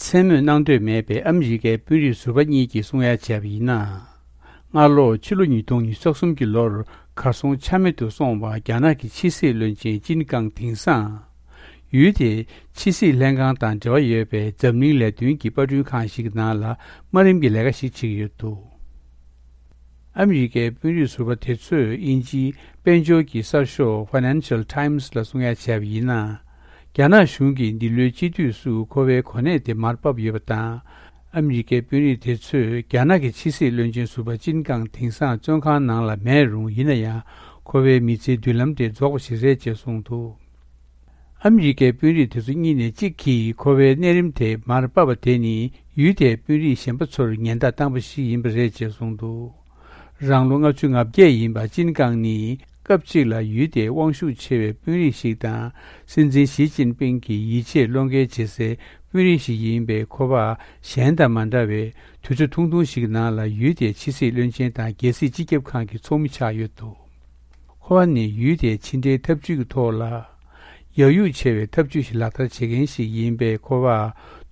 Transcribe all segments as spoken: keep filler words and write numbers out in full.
མཚན་སྨོས་གནང་འདོད་མེད་པའི་ཨ་མི་རི་ཀའི་དཔོན་རིགས་ཟུར་པ་གཉིས་ཀྱིས་གསུང་ཡ་བྱས་པ་ཡིན་ན། སྔ་ལོ་ཕྱི་ལོ་ཉིས་སྟོང་ཉི་ཤུ་རྩ་གསུམ་གྱི་ལོར་གར་སོང་ཆ་མེད་དུ་སོང་བ་རྒྱ་ནག་གི་ཕྱི་སྲིད་བློན་ཆེན་ཅིན་ཀང་དེང་སང་། ཡུལ་དེའི་ཕྱི་སྲིད་ལྷན་ཁང་དང་འབྲེལ་བ་ཡོད་པའི་འཛམ་གླིང་ལས་དོན་གྱི་པར་སྐྲུན་ཁང་ཞིག་གི་ནང་ལ་དམའ་རིམ་གྱི་ལས་ཀ་ཞིག་བྱེད་ཀྱི་ཡོད་འདུག་ཨ་མི་རི་ཀའི་དཔོན་རིགས་ཟུར་པ་དེ་ཚོས་དབྱིན་ཇིའི་དཔལ་འབྱོར་གྱི་གསར་ཤོག་Financial Times་ལ་གསུང་ཡ་བྱས་པ་ཡིན་ན། རྒྱ་ནག་གཞུང་གིས་འདི་ལོའི་དཔྱིད་དུས་སུ་ཁོ་པའི་གོ་གནས་དེ་མར་ཕབ་ཡོད་པ་དང་། ཨ་མི་རི་ཀའི་དཔོན་རིགས་དེ་ཚོས་རྒྱ་ནག་གི་ཕྱི་སྲིད་བློན་ཆེན་ཟུར་པ་ཅིན་ཀང་དེང་སང་བཙོན་ཁང་ནང་ལ་མེད་རུང་། ཡིན་ན་ཡང་ཁོ་པའི་མི་ཚེའི་མདུན་ལམ་དེ་རྫོགས་པ་ཞིག་རེད་ཅེས་གསུངས་འདུག་ཨ་མི་རི་ཀའི་དཔོན་རིགས་དེ་ཚོ་གཉིས་ནས་གཅིག་གིས་ཁོ་པའི་གནས་རིམ་དེ་མར་ཕབ་པ་དེ་ནི་ཡུལ་དེའི་དཔོན་རིགས་གཞན་པ་ཚོར་ཉེན་བརྡ་བཏང་པ་ཞིག་ཡིན་པ་རེད་ཅེས་གསུངས་འདུག་རང་ལོ་ལྔ་བཅུ་ང་བརྒྱད་ཡིན་པ་ཅིན་ཀང་ནི་སྐབས་གཅིག་ལ་ཡུལ་དེའི་དབང་ཤུགས་ཆེ་བའི་དཔོན་རིགས་ཤིག་དང་། སྲིད་འཛིན་ཞི་ཅིན་ཕིང་གི་ཡིད་ཆེས་བློ་འགེལ་བྱེད་སའི་དཔོན་རིགས་ཤིག་ཡིན་པས། ཁོ་པ་གཞན་དང་མ་འདྲ་བའི་དུས་ཚོད་ཐུང་ཐུང་ཞིག་ནང་ལ་ཡུལ་དེའི་ཕྱི་སྲིད་བློན་ཆེན་དང་རྒྱལ་སྲིད་སྤྱི་ཁྱབ་ཁང་གི་ཚོགས་མི་ཆགས་ཡོད་འདུག་ཁོ་པ་ནི་ཡུལ་དེའི་ཕྱི་འབྲེལ་འཐབ་ཇུས་ཀྱི་ཐོག་ལ་ཡག་ཡུག་ཆེ་བའི་འཐབ་ཇུས་ཤིག་ལག་བསྟར་བྱེད་མཁན་ཞིག་ཡིན་པས། ཁོ་པ་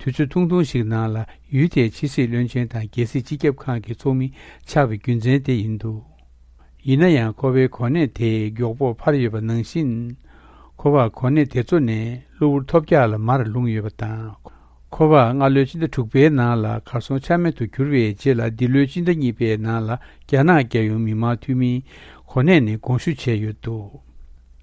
དུས་ཚོད་ཐུང་ཐུང་ཞིག་ནང་ལ་ཡུལ་དེའི་ཕྱི་སྲིད་བློན་ཆེན་དང་རྒྱལ་སྲིད་སྤྱི་ཁྱབ་ཁང་གི་ཚོགས་མི་ཆགས་པའི་རྒྱུ་མཚན་དེ་ཡིན་འདུག་ཡིན་ན་ཡང་ཁོ་པའི་གོ་གནས་དེ་མགྱོགས་པོར་འཕར་ཡོད་པ་ནང་བཞིན། ཁོ་པ་གོ་གནས་དེ་ཚོ་ནས་གློ་བུར་ཐོལ་རྒྱག་ལ་མར་ལྷུང་ཡོད་པ་དང་། ཁོ་པ་སྔ་ལོའི་སྤྱི་ཟླ་དྲུག་པའི་ནང་ལ་གར་སོང་ཆ་མེད་དུ་གྱུར་བའི་རྗེས་ལ། འདི་ལོའི་སྤྱི་ཟླ་གཉིས་པའི་ནང་ལ་རྒྱ་ནག་རྒྱལ་ཡོངས་མི་དམངས་འཐུས་མིའི་གོ་གནས་ནས་དགོངས་ཞུ་བྱས་ཡོད་འདུག་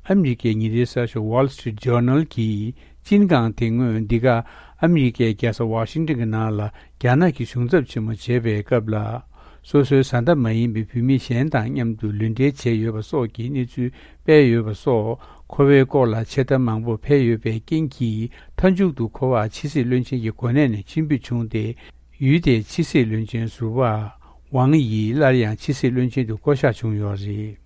ཨ་མི་རི་ཀའི་ཉིན་རེའི་གསར་ཤོག་Wall Street Journal་གིས་ཅིན་ཀང་དེ་སྔོན་འདི་ག་ཨ་མི་རི་ཀའི་རྒྱལ་ས་ཝ་ཤིང་ཏོན་གྱི་ནང་ལ་རྒྱ་ནག་གི་གཞུང་ཚབ་ཆེན་མོ་བྱེད་པའི་སྐབས་ལ། སོ་སོའི་བཟའ་ཟླ་མ་ཡིན་པའི་བུད་མེད་གཞན་དང་མཉམ་དུ་ལུས་འབྲེལ་བྱས་ཡོད་པ་སོགས་ཀྱི་གནས་ཚུལ་སྤེལ་ཡོད་པ་སོགས། ཁོ་པའི་སྐོར་ལ་ཆེ་མཐའ་མང་པོ་འཕེལ་ཡོད་པའི་རྐྱེན་གྱིས། མཐའ་མཇུག་ཏུ་ཁོ་པ་ཕྱི་སྲིད་བློན་ཆེན་གྱི་གོ་གནས་ནས་ཕྱིར་འབུད་བྱུང་སྟེ། ཡུལ་དེའི་ཕྱི་སྲིད་བློན་ཆེན་ཟུར་པ་ཝང་དབྱི་སླར་ཡང་ཕྱི་སྲིད་བློན་ཆེན་དུ་བསྐོ་གཞག་བྱུང་ཡོད་རེད།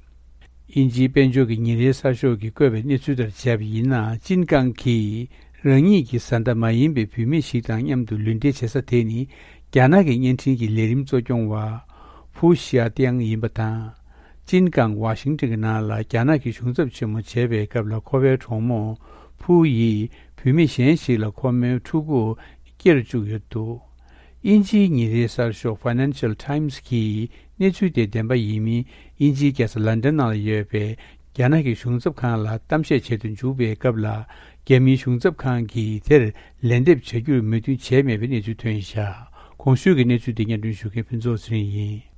དབྱིན་ཇིའི་དཔལ་འབྱོར་གྱི་ཉིན་རེའི་གསར་ཤོག་གིས་བཀོད་པའི་གནས་ཚུལ་ལྟར་བྱས་པ་ཡིན་ན། ཅིན་ཀང་གིས་རང་ཉིད་ཀྱི་བཟའ་ཟླ་མ་ཡིན་པའི་བུད་མེད་ཞིག་དང་མཉམ་དུ་ལུས་འབྲེལ་བྱེད་ས་དེ་ནི། རྒྱ་ནག་གི་བརྙན་འཕྲིན་གྱི་ལས་རིམ་གཙོ་སྐྱོང་བ་ཕུའུ་ཞི་ཡ་ཏེང་ཡིན་པ་དང་། ཅིན་ཀང་ཝ་ཤིང་ཏོན་གྱི་ནང་ལ་རྒྱ་ནག་གི་གཞུང་ཚབ་ཆེན་མོ་བྱེད་པའི་སྐབས་ལ། ཁོ་པའི་གྲོགས་མོ་ཕུའུ་ཡིས་བུད་མེད་གཞན་ཞིག་ལ་ཁོ་མོའི་ཕྲུ་གུ་སྐྱེར་བཅུག་ཡོད་འདུག་དབྱིན་ཇིའི་ཉིན་རེའི་གསར་ཤོག་Financial Times་གིས་གནས་ཚུལ་དེ་བདེན་པ་ཡིན་མིན། དབྱིན་ཇིའི་རྒྱལ་ས་ལན་ཌན་ནང་ལ་ཡོད་པའི་རྒྱ་ནག་གི་གཞུང་ཚབ་ཁང་ལ་གཏམ་བཤད་བྱེད་དུ་འཇུག་པའི་སྐབས་ལ། རྒྱ་མིའི་གཞུང་ཚབ་ཁང་གིས་དེར་ལན་འདེབས་བྱ་རྒྱུར་མོས་མཐུན་བྱས་མེད་པའི་གནས་ཚུལ་ཐོན་བཞག་གོང་ཞུས་ཀྱི་གནས་ཚུལ་དེ་སྙན་སྒྲོན་ཞུ་མཁན་ཕུན་ཚོགས་ཚེ་རིང་ཡིན།